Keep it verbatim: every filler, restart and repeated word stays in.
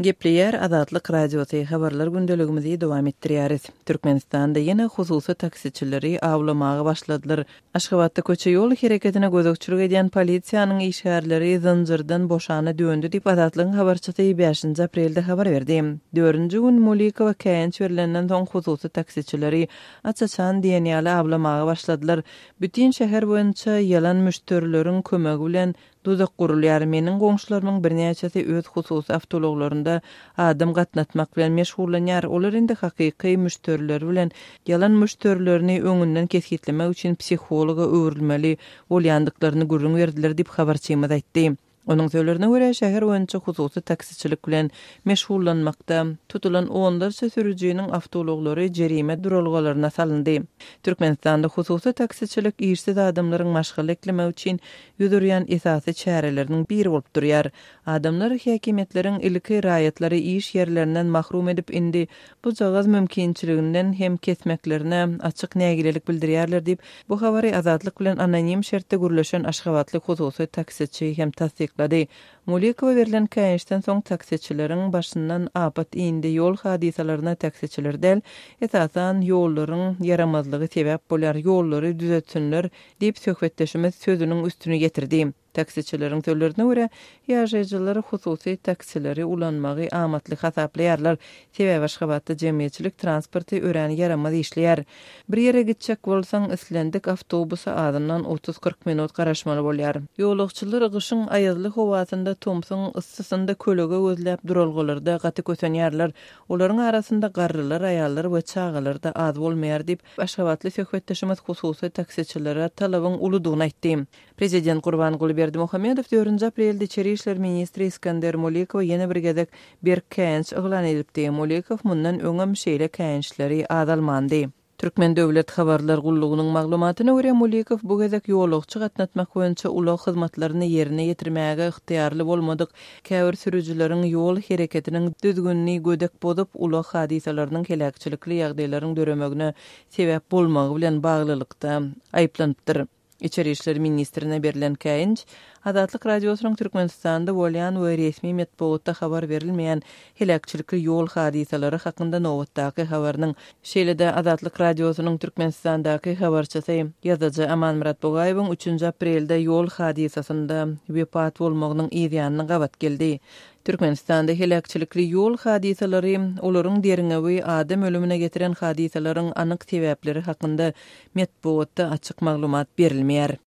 Gepleýär Azatlyk Radiosy, habarlar gündeligimizi dowam etdirýäris. Türkmenistanda ýene hususy taksiçileri awlamaga başladylar. Aşgabatda köçe ýol hereketine gözegçilik edýän polisiýanyň işgärleri zynjyrdan boşana döndü diýip Azatlygyň habarçysy bäşinji aprelde habar berdi. Dördünji gün Mulikowa käýinç berilenden soň hususy taksiçileri aç-açan diýen ýaly awlamaga başladylar. Bütin şäher boýunça ýalan müşderileriň kömegi bilen duzak gurulýar. Meniň goňşularymyň birnäçesi öz hususy awtoulaglarynda adam gatnatmak bilen meşgullanýar. Olar indi hakyky müşderiler bilen ýalan müşderilerini öňünden kesgitlemek üçin psihologa öwrülmeli bolýandyklaryny gürrüň berdiler diýip habarçymyz aýtdy. Onuň sözlerine görä, şäher boýunça hususy taksiçilik bilen meşgullanmakda tutulan onlarça sürüjiniň awtoulaglary jerime duralgalaryna salyndy. Türkmenistanda hususy taksiçilik işsiz adamlaryň maşgala eklemek üçin ýüz urýan esasy çäreleriniň biri bolup durýar. Adamlar häkimiýetleriň ilki raýatlary iş ýerlerinden mahrum edip, indi bujagaz mümkinçiliginden hem kesmeklerine açyk nägilelik bildirýärler diýip, bu habary Azatlyk bilen anonim şertde gürleşen aşgabatly hususy taksiçi hem tassyklady. Mulikowa berlen käýinçden soň taksiçileriň başyndan apat indi ýol hadysalaryna taksiçiler däl, esasan ýollaryň ýaramazlygy sebäp bolýar, ýollary düzetsinler diýip söhbetdeşimiz sözüniň üstüni getirdi. Taksiçileriň sözlerine görä, ýaşaýjylar hususy taksileri ulanmagy amatly hasaplaýarlar. Sebäbi Aşgabatda jemgyýetçilik transporty örän ýaramaz işleýär. Bir ýere gitjek bolsaň, islendik awtobusa azyndan otuz-kyrk minut garaşmaly bolýar. Ýolagçylar gyşyň aýazly howasynda, tomsuň yssysynda kölege gözläp duralgalarda gaty kösenýärler. Olaryň arasynda garrylar, aýallar we çagalar da az bolmaýar diýip, Aşgabatly söhbetdeşimiz hususy taksiçilere talabyň uludygyny aýtdy. Prezident Gurbanguly Berdimuhamedow dördünji aprelde İçeri İşler ministri Iskender Mulikowa ýene bir gezek berk käýinç yglan edipdi. Mulikow mundan öňem şeýle käýinçleri azalmandy. Türkmen Döwlet Habarlar Gullugynyň maglumatyna görä, Mulikow bu gezek ýolagçy gatnatmak boýunça ulag hyzmatlaryny ýerine ýetirmäge ygtyýarly bolmadyk käbir sürüjileriň ýol hereketiniň düzgünini gödek bozup, ulag hadysalarynyň heläkçilikli ýagdaýlaryň döremegine sebäp bolmagy bilen baglylykda aýyplanypdyr. İçeri İşler Ministrine berlen käýinç Azatlyk Radiosynyň Türkmenistanda bolýan we resmi metbugatda habar berilmeýän heläkçilikli ýol hadysalary hakynda nobatdaky habarynyň, şeýle-de Azatlyk Radiosynyň Türkmenistandaky habarçysy ýazyjy Amanmyrat Bugaýewiň üçünji aprelde ýol hadysasynda wepat bolmagynyň yz ýanyna gabat geldi. Türkmenistanda heläkçilikli ýol hadysalary, olaryň derňewi, adam ölümine getiren hadysalaryň anyk sebäpleri hakynda metbugatda açyk maglumat berilmeýär.